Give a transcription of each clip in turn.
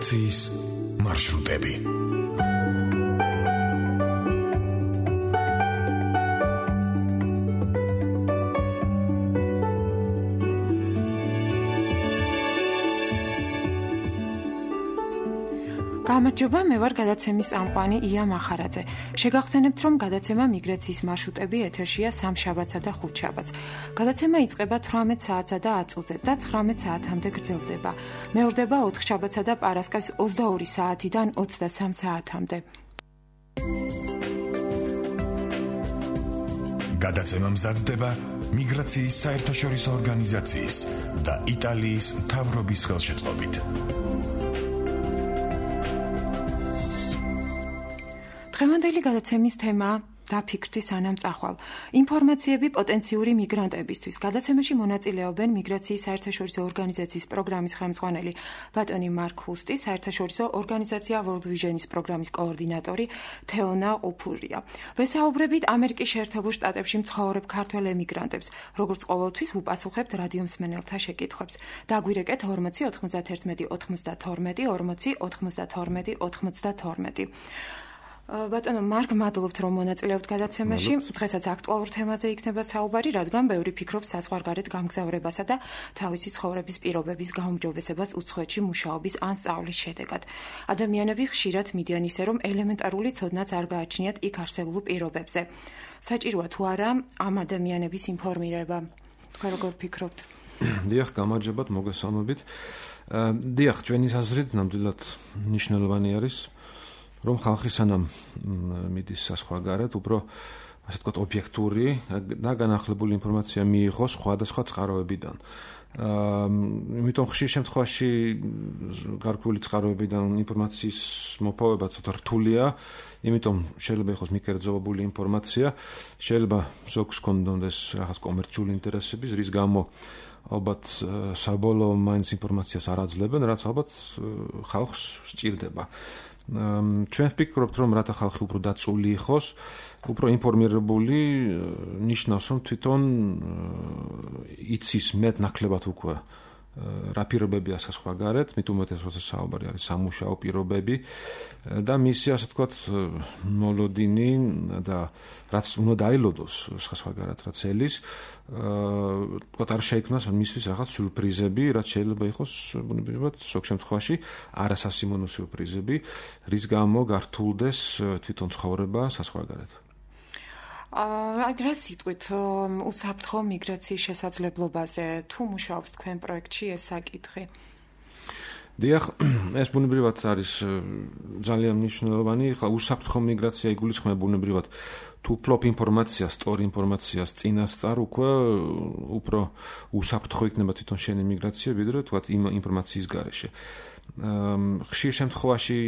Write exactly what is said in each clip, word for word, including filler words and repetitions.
მიგრაციის მარშრუტები. გამარჯობა, მე ვარ გადაცემის წამყვანი ია მახარაძე. შეგახსენებთ, რომ გადაცემა მიგრაციის მარშრუტები ეთერშია სამშაბათსა და ხუთშაბათს. გადაცემა იწყება თვრამეტ საათსა და ათს წუთზე და ცხრამეტ საათამდე გრძელდება. მეორდება ოთხშაბათსა და პარასკევს ოცდაორი საათიდან ოცდასამ საათამდე. გადაცემა მზადდება მიგრაციის საერთაშორისო ორგანიზაციის და იტალიის მთავრობის ხელშეწყობით. დღევანდელი გადაცემის თემაა დაფიქრდი სანამ წახვალ. ინფორმაციები პოტენციური მიგრანტებისთვის. გადაცემაში მონაწილეობენ მიგრაციის საერთაშორისო ორგანიზაციის პროგრამის ხელმძღვანელი ბატონი მარკ ჰუსტი, საერთაშორისო ორგანიზაცია World Vision-ის პროგრამის კოორდინატორი თეონა ყუფურია. ვესაუბრებით ამერიკის შეერთებულ შტატებში მცხოვრებ ქართველ ემიგრანტებს, როგორც ყოველთვის უპასუხებთ რადიო მსმენელთა შეკითხვებს. დაგვირეკეთ ორმოცი ოთხმოცდაერთმეტი ოცდათორმეტი ორმოცი ოთხმოცდათორმეტი ოცდათორმეტი. ბატონო მარკ, მადლობთ რომ მონაწილეობთ გადაცემაში. დღესაც აქტუალურ თემაზე იქნება საუბარი, რადგან ბევრი ფიქრობს საზღვარგარეთ გამგზავრებასა და თავისი ცხოვრების პირობების გაუმჯობესებას უცხოეთში მუშაობის ან სწავლის შედეგად. ადამიანები ხშირად მიდიან ისე, რომ ელემენტარული ცოდნაც არ გააჩნიათ იქ არსებულ პირობებზე. საჭიროა თუ არა ამ ადამიანების ინფორმირება? თქვენ როგორ ფიქრობთ? დიახ, გამარჯობათ, მოგესალმებით. დიახ, ჩვენი აზრით ნამდვილად მნიშვნელოვანი არის რომ ხალხი სანამ მიდის საზღვარგარეთ, უფრო ასე ვთქვათ, ობიექტური და განახლებული ინფორმაცია მიიღოს სხვადასხვა წყაროებიდან. იმიტომ ხშირ შემთხვევაში გარკვეული წყაროებიდან ინფორმაციის მოპოვება ცოტა რთულია, იმიტომ შეიძლება იყოს მიკერძოებული ინფორმაცია, შეიძლება ზოგს კონდონდეს რაღაც კომერციული ინტერესების, რის გამო ალბათ საბოლოო მაინც ინფორმაციას არ აძლევენ, რაც ალბათ ხალხს სჭირდება. ჩვენ ვფიქრობთ, რომ რათა ხალხი უფრო დაწული იყოს, უფრო ინფორმირებული, ნიშნავს, რომ თვითონ იცის მეტ ნაკლებად უკვე რა პირობებია საზღვარგარეთ, მით უმეტეს როცა საუბარი არის სამუშაო პირობები და მისი ასე ვთქვათ მოლოდინი და რაც უნდა დაილოდოს საზღვარგარეთ რაც ელის, ვთქვათ არ შეიქმნას მისთვის რაღაც სიურპრიზები, რაც შეიძლება იყოს ბუნებრივად ზოგ შემთხვევაში არასასიმონო სიურპრიზები, რის გამო გართულდეს თვითონ ცხოვრება საზღვარგარეთ. აა რა სიტყვით უსაფრთხო მიგრაციის შესაძლებლობაზე თუ მუშაობს თქვენ პროექტში ეს საკითხი? დიახ, ეს ბუნებრივად არის ძალიან მნიშვნელოვანი. ხა უსაფრთხო მიგრაცია იგულისხმება ბუნებრივად თუ ფლოპ ინფორმაციას, სტორ ინფორმაციას წინასწარ უკვე უფრო უსაფრთხო იქნება თვითონ შენი მიგრაცია, ვიდრე თქვათ იმ ინფორმაციის გარეშე. ხშირ შემთხვევაში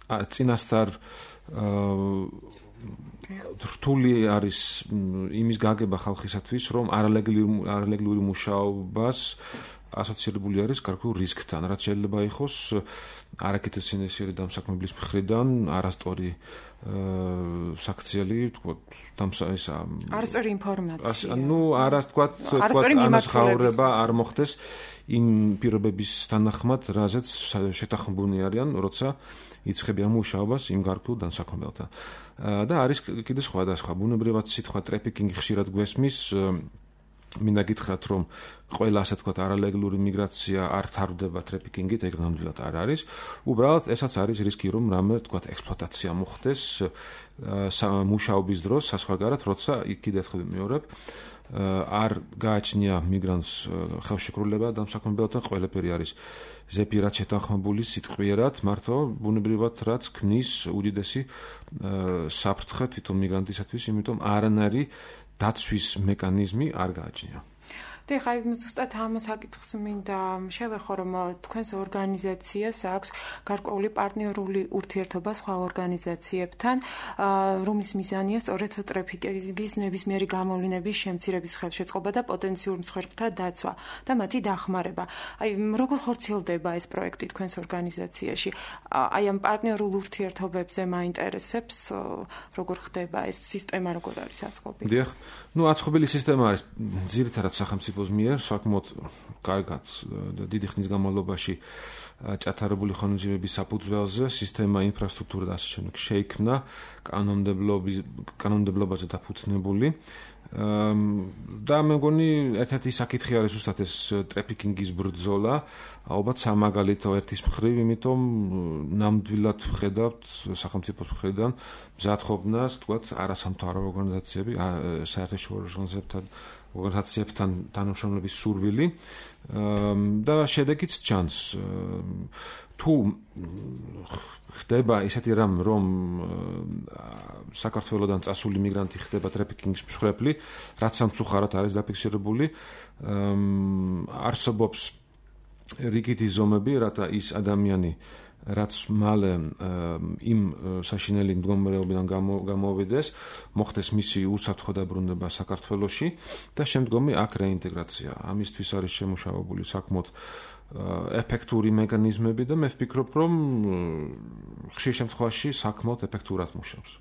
წინასწარ რთული არის იმის გაგება ხალხისათვის, რომ არალეგალური მუშაობას ასოცირებული არის გარკვეულ რისკთან, რაც შეიძლება იყოს არაკეთილ სინესიერი დამსაქმებლის მხრიდან, არასწორი საქციელი, თქვათ, დამსაისა არასწორი ინფორმაცია. ნუ არას თქვათ, თქვათ, ანაზღაურება არ მოხდეს იმ პირობების თანახმად, რაზეც შეთანხმებულნი არიან, როცა იწყებიან მუშაობას იმ გარკვეულ დამსაქმებელთან. და არის კიდე სხვადასხვა ბუნებრივად სიტყვა ტრაფიკინგი ხშირად გვესმის, მინდა გითხრათ, რომ ყველა ასე ვთქვათ არალეგალური მიგრაცია არ თარდება ტრაფიკინგით, ეგ ნამდვილად არ არის. უბრალოდ ესაც არის რისკი, რომ რამე ვთქვათ ექსპლუატაცია მოხდეს მუშაობის დროს საზღვარგარეთ, როცა კიდე ერთხელ ვიმეორებ, არ გააჩნია მიგრანტს ხელშეკრულება დამსაქმებელთან, ყველაფერი არის ზეპირად შეთანხმებული სიტყვიერად, მართლა ბუნებრივად რაც ქმნის უდიდესი საფრთხე თვითონ მიგრანტისათვის, იმიტომ არანაირი დაცვის მექანიზმი არ გააჩნია. ხა ზუსტად ამ საკითხს მინდა შევეხო, რომ თქვენს ორგანიზაციას აქვს გარკვეული პარტნიორული ურთიერთობა სხვა ორგანიზაციებთან, რომლის მიზანია სწორედ ტრაფიკინგის ნებისმიერი გამოვლინების შემცირების ხელშეწყობა და პოტენციურ მსხვერპლთა დაცვა და მათი დახმარება. აი, როგორ ხორციელდება ეს პროექტი თქვენს ორგანიზაციაში? აი, ამ პარტნიორულ ურთიერთობებზე მაინტერესებს, როგორ ხდება ეს სისტემა, როგორ არის აწყობილი? დიახ, ნუ აწყობილი სისტემა არის ძირითადად სახელმწიფო სახელმწიფოს მიერ საკმაოდ კარგად და დიდი ხნის განმავლობაში ჩატარებული ხანგრძლივების საფუძველზე სისტემა, ინფრასტრუქტურა და ასე შემდეგ შეიქმნა კანონმდებლობის კანონმდებლობაზე დაფუძნებული. და მე მგონი ერთ-ერთი საკითხი არის უბრალოდ ეს ტრაფიკინგის ბრძოლა, ალბათ სამაგალითო ერთის მხრივ, იმიტომ ნამდვილად ვხედავთ სახელმწიფოს მხრიდან მზადყოფნას, თქვათ, არასამთავრობო ორგანიზაციები, საერთაშორისო ორგანიზაციებთან ორგანიზაციებთან თანამშრომლობის სურვილი და შედეგიც ჩანს. თუ ხდება ისეთი რამ, რომ საქართველოდან წასული მიგრანტი ხდება ტრაფიკინგის მსხვერპლი, რაც სამწუხაროდ არის დაფიქსირებული, არსებობს რიგითი ზომები, რათა ის ადამიანი, რაც მალე იმ საშინელი მდგომარეობიდან გამოვიდეს, მოხდეს მისი უსაფრთხო დაბრუნება საქართველოში და შემდგომი აქ რეინტეგრაცია. ამისთვის არის შემუშავებული საკმაოდ ეფექტური მექანიზმები და მე ვფიქრობ, რომ ხშირ შემთხვევაში საკმაოდ ეფექტურად მუშაობს.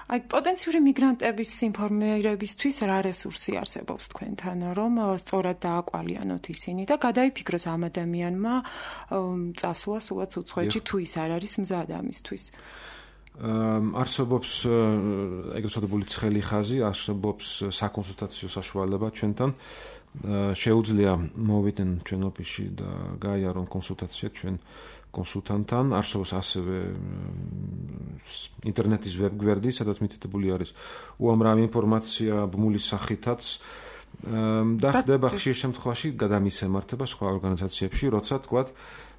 აი, პოტენციური მიგრანტების ინფორმირებისთვის რა რესურსი არსებობს თქვენთან, რომ სწორად დააკვალიანოთ ისინი და გადაიფიქროს ამ ადამიანმა წასვლა სულაც უცხოეთში თუ ის არ არის მზად ამისთვის. არსებობს ეგრეთ წოდებული ცხელი ხაზი, არსებობს საკონსულტაციო საშუალება ჩვენთან. შეუძლია მოვიდნენ ჩვენ ოფისში და გაიარონ კონსულტაცია ჩვენ კონსულტანტთან. არსებობს ასევე ინტერნეტის ვებგვერდი, სადაც მითითებული არის უამრავი ინფორმაცია ბმულის სახითაც და ხდება ხშირ შემთხვევაში გადამისემართება სხვა ორგანიზაციებში, როცა თქვათ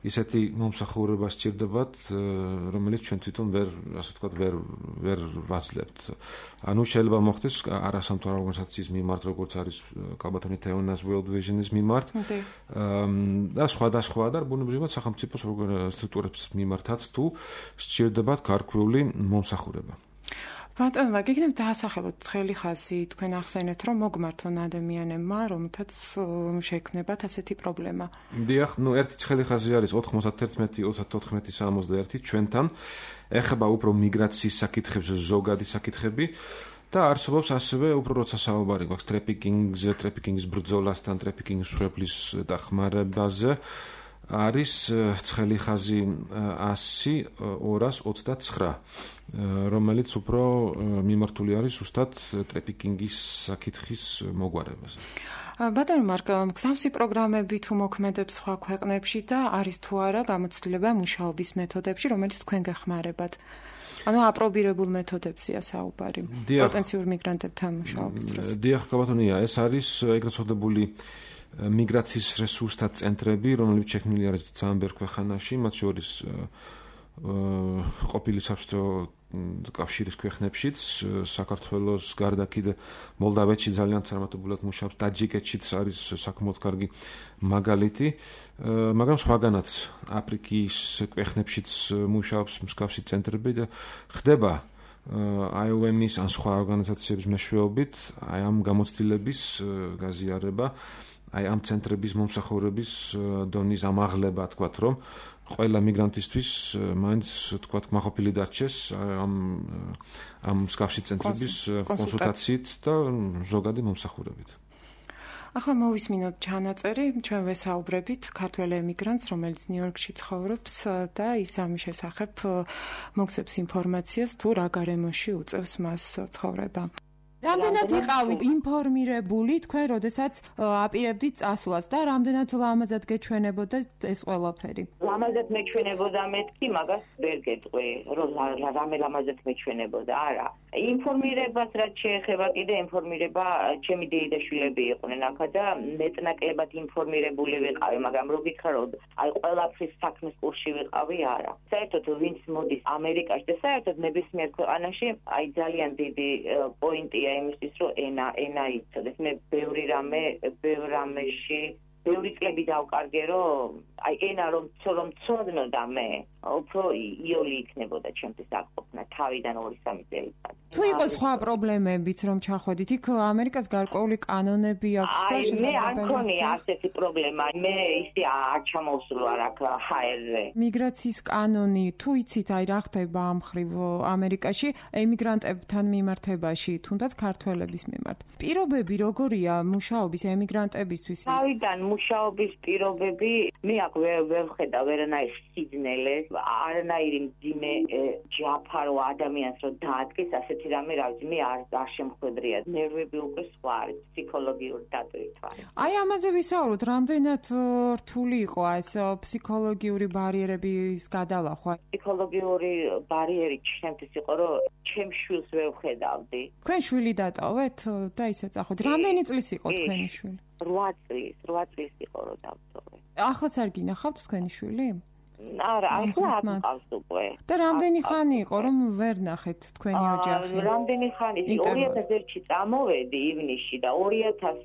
ისეთი მომსახურება სჭირდებათ, რომელიც ჩვენ თვითონ ვერ, ასე ვთქვათ, ვერ ვერ ვაძლევთ. ანუ შეიძლება მოხდეს არასამთავრობო ორგანიზაციის მიმართ, როგორც არის კალბათონი თეონას World Vision-ის მიმართ და სხვადასხვა და ბუნებრივად სახელმწიფო სტრუქტურების მიმართაც თუ სჭირდებათ გარკვეული მომსახურება. ბატონო, გიგნებ დაასახელოთ ცხელი ხაზი, თქვენ ახსენეთ, რომ მოგმართონ ადამიანებმა, რომთაც შეექმნებათ ასეთი პრობლემა. დიახ, ნუ ერთი ცხელი ხაზი არის ოთხმოცდაერთმეტი ოცდაოთხმეტი სამოცდაერთი ჩვენთან, ეხება უფრო მიგრაციის საკითხებს, ზოგადი საკითხები და არსებობს ასევე უფრო როცა საუბარი გვაქვს ტრაფიკინგზე, ტრაფიკინგის ბრძოლასთან, ტრაფიკინგის მსხვერპლის დახმარებაზე. არის ცხელი ხაზი ასი ორას ოცდაცხრა, რომელიც უფრო მიმართული არის ზუსტად ტრაფიკინგის საკითხის მოგვარებაზე. ბატონო მარკ, მსგავსი პროგრამები თუ მოქმედებს სხვა ქვეყნებში და არის თუ არა გამოცდილება მუშაობის მეთოდებში, რომელიც თქვენ გეხმარებათ? ანუ აპრობირებულ მეთოდებზეა საუბარი პოტენციურ მიგრანტებთან მუშაობის დროს. დიახ, ბატონია, ეს არის ეგრეთ წოდებული მიგრაციის რესურსთა ცენტრები, რომლებიც შექმნილი არის ძალიან ბევრ ქვეყანაში, მათ შორის ყოფილი საბჭოთა კავშირის ქვეყნებშიც, საქართველოს გარდა კიდე მოლდავეთში ძალიან წარმატებულად მუშაობს, ტაჯიკეთშიც არის საკმაოდ კარგი მაგალითი, მაგრამ სხვაგანაც აფრიკის ქვეყნებშიც მუშაობს მსგავსი ცენტრები და ხდება I O M-ის ან სხვა ორგანიზაციების მეშვეობით აი ამ გამოცდილების გაზიარება, აი ამ ცენტრების მომსახურების დონის ამაღლება, თქვათ, რომ ყველა მიგრანტისთვის მაინც თქვათ მაყოფილი დარჩეს ამ ამ მსგავსი ცენტრების კონსულტაციით და ზოგადი მომსახურებით. ახლა მოვისმინოთ ჩანაწერი, ჩვენ ვესაუბრებით ქართველ ემიგრანტს, რომელიც ნიუ-იორკში ცხოვრობს და ის ამის შესახებ მოგცემს ინფორმაციას, თუ რა გარემოში უწევს მას ცხოვრება. რამდენად იყავით ინფორმირებული თქვენ, როდესაც აპირებდით წასვლას და რამდენად ლამაზად გეჩვენებოდა ეს ყველაფერი? ლამაზად მეჩვენებოდა მეთქი, მაგას ვერ გეტყვი, რომ რამე ლამაზად მეჩვენებოდა, არა. ინფორმირებას რაც შეეხება, კიდე ინფორმირება ჩემი დეიდაშვილები იყვნენ აქა და მეტნაკლებად ინფორმირებული ვიყავი, მაგრამ რო გითხრათ, აი ყველაფრის საქმის კურსში ვიყავი, არა. საერთოდ ვინც მოდის ამერიკაში და საერთოდ ნებისმიერ ქვეყანაში, აი ძალიან დიდი პოინტია იმისთვის, რომ ენა, ენა იცოდეს. მე ბევრი რამე, ბევრ რამეში, ბევრი წლები დავკარგე, რომ აი ენა რომ რომ ცოდნოდა მე უფრო იოლი იქნებოდა ჩემთვის აკყოფნა თავიდან ორი სამი წელიწად. თუ იყო სხვა პრობლემებიც რომ ჩახვედით იქ ამერიკას გარკვეული კანონები აქვს და შესაძლებელი. მე არ მქონია ასეთი პრობლემა. მე ისე არ ჩამოვსულა აქ ჰაერზე. მიგრაციის კანონი თუ იცით აი რა ხდება ამ ხრივ ამერიკაში ემიგრანტებთან მიმართებაში თუნდაც ქართველების მიმართ. პირობები როგორია მუშაობის ემიგრანტებისთვის? თავიდან მუშაობის პირობები მე აქ ვერ ვხედავ ვერანაირ სიძნელეს, არანაირი მძიმე ჯაფარო ადამიანს რომ დაადგეს ასეთი რამე რა ვიცი მე არ არ შემხვედრია. ნერვები უკვე სხვა არის ფსიქოლოგიური დატვირთვა. აი ამაზე ვისაუბროთ, რამდენად რთული იყო ეს ფსიქოლოგიური ბარიერების გადალახვა? ფსიქოლოგიური ბარიერი ჩემთვის იყო რომ ჩემ შვილს ვერ ვხედავდი. თქვენ შვილი დატოვეთ და ისე წახოთ. რამდენი წლის იყო თქვენი შვილი? რვა წლის, რვა წლის იყო რომ დავტოვე. ახლაც არ გინახავთ თქვენი შვილი? არა, ახლა არ მყავს უკვე. და რამდენი ხანი იყო რომ ვერ ნახეთ თქვენი ოჯახი? რამდენი ხანი? ორი ათას ერთში წამოვედი ივნისში და ორი ათას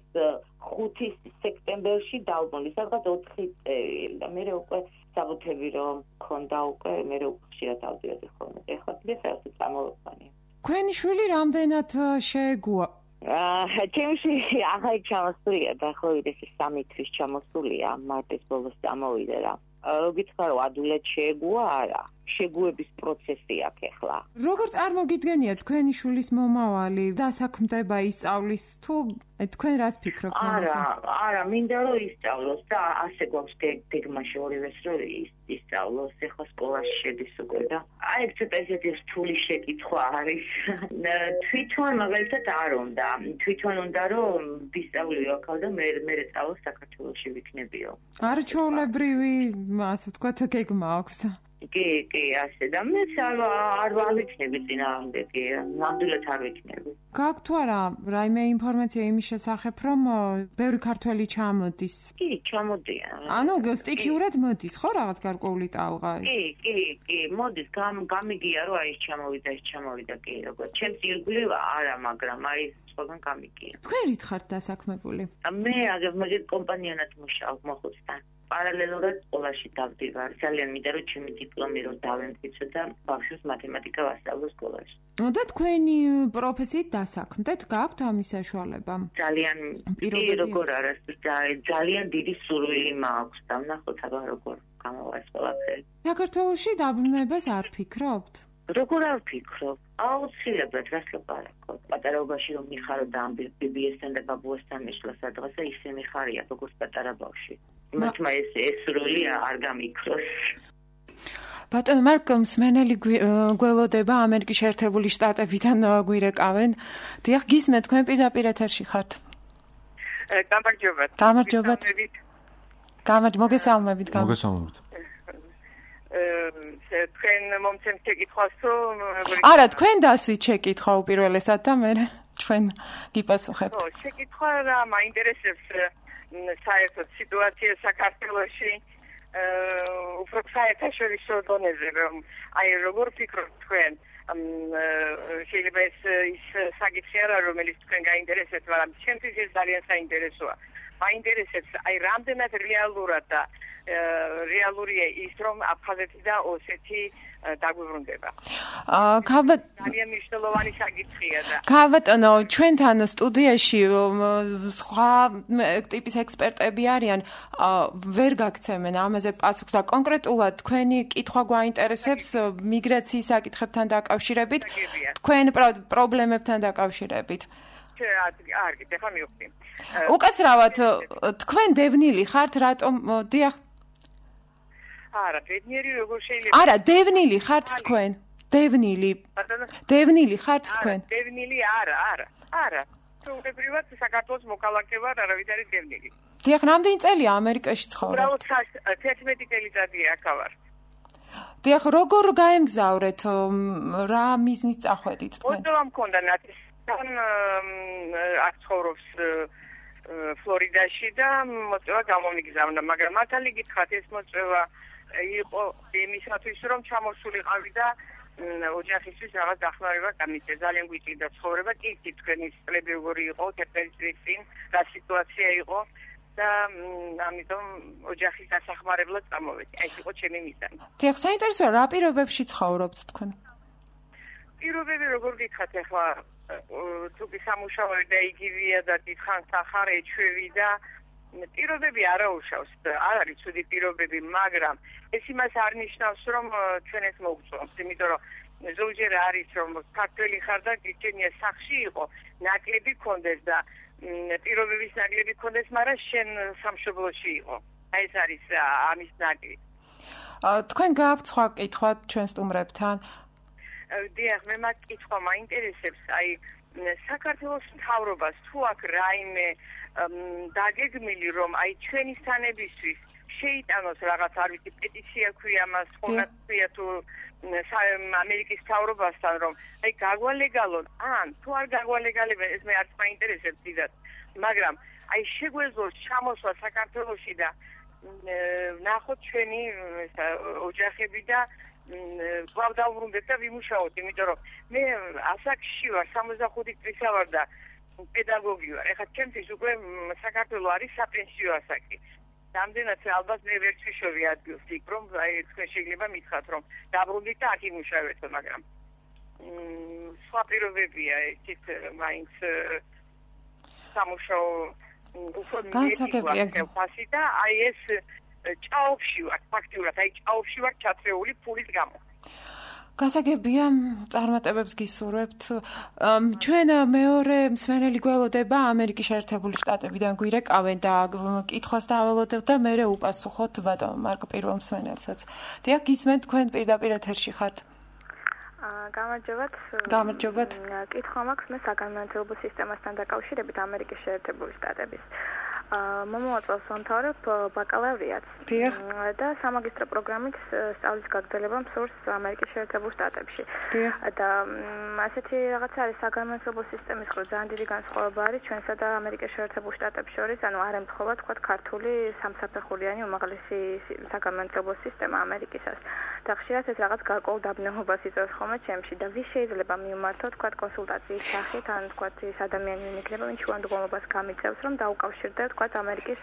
ხუთი სექტემბერში დავბრუნდი, სადღაც ოთხი წელი და მე უკვე საბუთები რომ მქონდა უკვე მე უკვე ხშირად ავდიოდი ხოლმე. ეხლა დღესაც წამოვედი. თქვენი შვილი რამდენად შეეგუა? აა, ჩემში ახლა ჩამოსულია და ხო ის სამი თვის ჩამოსულია, მარტის ბოლოს წამოვიდა რა. რო გითხრა ადვილად შეეგუა არა. შეგუების პროცესი აქვს ახლა. როგორ წარმოგიდგენია თქვენი შვილის მომავალი? დასაქმდება ისწავლის თუ თქვენ რას ფიქრობთ ამაზე? არა, არა, მინდა რომ ისწავლოს და ასე გვაქვს გეგმაში ორივეს რომ ისწავლოს, ახლა სკოლაში შედის უკვე და აი ეს ცოტა ისეთი რთული შეკითხვა არის. თვითონ მაგალითად არ უნდა, თვითონ უნდა რომ ვისწავლიო აქ და მე მე წავალ საქართველოში ვიქნებიო. არჩეულებრივი, ასე ვთქვათ, გეგმა აქვს. კი, კი, ასე და მე არ არ ვიქნები წინააღმდეგ, კი, ნამდვილად არ ვიქნები. გაქვთ თუ არა რაიმე ინფორმაცია იმის შესახებ, რომ ბევრი ქართველი ჩამოდის? კი, ჩამოდიან. ანუ სტიქიურად მოდის, ხო, რაღაც გარკვეული ტალღა? კი, კი, კი, მოდის, გამიგია რომ აი ეს ჩამოვიდა, ეს ჩამოვიდა, კი, როგორ. ჩემს ირგვლივ არა, მაგრამ აი სხვაგან გამიგია. თქვენ რით ხართ დასაქმებული? მე აგერ მაგეთ კომპანიონად მუშაობ მოხუცთან. პარალელურად სკოლაში დავდივარ. ძალიან მინდა რომ ჩემი დიპლომი რომ დავემტკიცო და ბავშვს მათემატიკა ვასწავლო სკოლაში. და თქვენი პროფესიით დასაქმდეთ? გაქვთ ამის საშუალება? ძალიან პირობები როგორ არა, ძალიან დიდი სურვილი მაქვს და ნახოთ აბა როგორ გამოვას ყველაფერი. საქართველოში დაბრუნებას არ ფიქრობთ? როგორ არ ვფიქრობ? აუცილებლად რას ლაპარაკობ? პატარაობაში რომ მიხარო და ამ ბიბიესთან და ბაბუასთან მიშლა სადღაცა ისე მიხარია როგორც პატარა ბავშვი. მათმა ეს ეს როლი არ გამიქროს. ბატონო მარკ მსმენელი გველოდება ამერიკის შეერთებული შტატებიდან გვირეკავენ. დიახ, გისმენთ, თქვენ პირდაპირ ეთერში ხართ. გამარჯობათ. გამარჯობათ. გამარჯ მოგესალმებით. მოგესალმებით. თქვენ მომცემთ შეკითხვას თუ არა, თქვენ დასვით შეკითხვა უპირველესად და მე ჩვენ გიპასუხებთ. ხო, შეკითხვა რა მაინტერესებს საერთოდ სიტუაცია საქართველოში უფრო საერთაშორისო დონეზე რომ აი როგორ ფიქრობთ თქვენ შეიძლება ეს ის საკითხი არა რომელიც თქვენ გაინტერესებთ, მაგრამ ჩემთვის ეს ძალიან საინტერესოა. მაინტერესებს აი რამდენად რეალურად და რეალურია ის რომ აფხაზეთი და ოსეთი დაგვიბრუნდება. აა ძალიან მნიშვნელოვანი საკითხია და ბატონო, ჩვენთან სტუდიაში სხვა ტიპის ექსპერტები არიან, ვერ გაგცემენ ამაზე პასუხს და კონკრეტულად თქვენი კითხვა გვაინტერესებს მიგრაციის საკითხებთან დაკავშირებით, თქვენ პრობლემებთან დაკავშირებით. არ გიტყვი, ხა მივხვდი. უკაცრავად, თქვენ დევნილი ხართ, რატომ დიახ არა, ბედნიერი როგორ შეიძლება? არა, დევნილი ხართ თქვენ. დევნილი. დევნილი ხართ თქვენ. დევნილი არა, არა. არა. უბრალოდ საქართველოს მოქალაქე ვარ, არავის არის დევნილი. დიახ, რამდენი წელია ამერიკაში ცხოვრობთ? უბრალოდ თერთმეტი წელიწადია აქ ვარ. დიახ, როგორ გაემგზავრეთ? რა მიზნით წახვედით თქვენ? მოწვევა მქონდა ნათის აქ ცხოვრობს ფლორიდაში და მოწვევა გამომიგზავნა, მაგრამ მართალი გითხრათ ეს მოწვევა იყო იმისათვის რომ ჩამოსულიყავი და ოჯახისთვის რაღაც დახმარება გამიწე. ძალიან გვიწევდა ცხოვრება, კი თქვენი წლები როგორი იყო, თერთმეტი წლის წინ რა სიტუაცია იყო და ამიტომ ოჯახის დასახმარებლად წამოვედი. ეს იყო ჩემი მიზანი. დიახ, საინტერესოა, რა პირობებში ცხოვრობთ თქვენ? პირობები როგორ გითხათ ახლა თუ კი სამუშაო და იგივეა და დიდხანს ახარ ეჩვევი და პირობები არ აუშავს, არ არის ცუდი პირობები, მაგრამ ეს იმას არ ნიშნავს, რომ ჩვენ ეს მოგწონს, იმიტომ რომ ზოგჯერ არის რომ ქართველი ხარ და გიჩენია სახში იყო, ნაკლები კონდეს და პირობების ნაკლები კონდეს, მაგრამ შენ სამშობლოში იყო. აი ეს არის ამის ნაკლი. თქვენ გააქვთ სხვა კითხვა ჩვენ სტუმრებთან? დიახ, მე მაგ კითხვა მაინტერესებს, აი საქართველოს მთავრობას თუ აქ რაიმე დაგეგმილი რომ აი ჩვენი სანებისთვის შეიტანოს რაღაც არ ვიცი პეტიცია ქვია მას ხონა ქვია თუ ამერიკის მთავრობასთან რომ აი გაგვალეგალონ ან თუ არ გაგვალეგალებენ ეს მე არც მაინტერესებს დიდად მაგრამ აი შეგვეძლოს ჩამოსვლა საქართველოში და ნახოთ ჩვენი ოჯახები და კვლავ დავბრუნდეთ და ვიმუშაოთ იმიტომ რომ მე ასაკში ვარ სამოცდახუთი წლისა ვარ და პედაგოგი ვარ. ეხლა ჩემთვის უკვე საქართველოს არის საპენსიო ასაკი. რამდენად ალბათ მე ვერ ვიშოვი ადგილს იქ რომ აი თქვენ შეიძლება მითხრათ რომ დაბრუნდით და აქ იმუშავეთ, მაგრამ სხვა პირობებია ისიც მაინც სამუშაო უფრო მიეწევასი და აი ეს ჭაობში ვარ, ფაქტიურად აი ჭაობში ვარ ჩათრეული ფულის გამო. გასაგებია, წარმატებებს გისურვებთ. ჩვენ მეორე მსმენელი გველოდება ამერიკის შეერთებული შტატებიდან გვირეკავენ და კითხვას დაველოდებ და მე უპასუხოთ ბატონ მარკ პირველ მსმენელსაც. დიახ, გისმენთ თქვენ პირდაპირ ეთერში ხართ. გამარჯობათ. გამარჯობათ. კითხვა მაქვს მე საგანმანათლებლო სისტემასთან დაკავშირებით ამერიკის შეერთებული შტატების. მომავალ სამთავრობ ბაკალავრიატს და სამაგისტრო პროგრამით სწავლის გაგრძელება მსურს ამერიკის შეერთებულ შტატებში. და ასეთი რაღაც არის საგანმანათლებლო სისტემის ხო ძალიან დიდი განსხვავება არის ჩვენსა და ამერიკის შეერთებულ შტატებს შორის, ანუ არ ემთხვევა თქვა ქართული სამსაფეხურიანი უმაღლესი საგანმანათლებლო სისტემა ამერიკისას. და ხშირად ეს რაღაც გარკვეულ დაბნელებას იწვევს ხოლმე ჩემში და ვის შეიძლება მივმართო თქვა კონსულტაციის სახით, ან თქვა ის ადამიანი იქნება, ვინც შუამდგომლობას გამიწევს, რომ დაუკავშირდეთ თქვა ამერიკის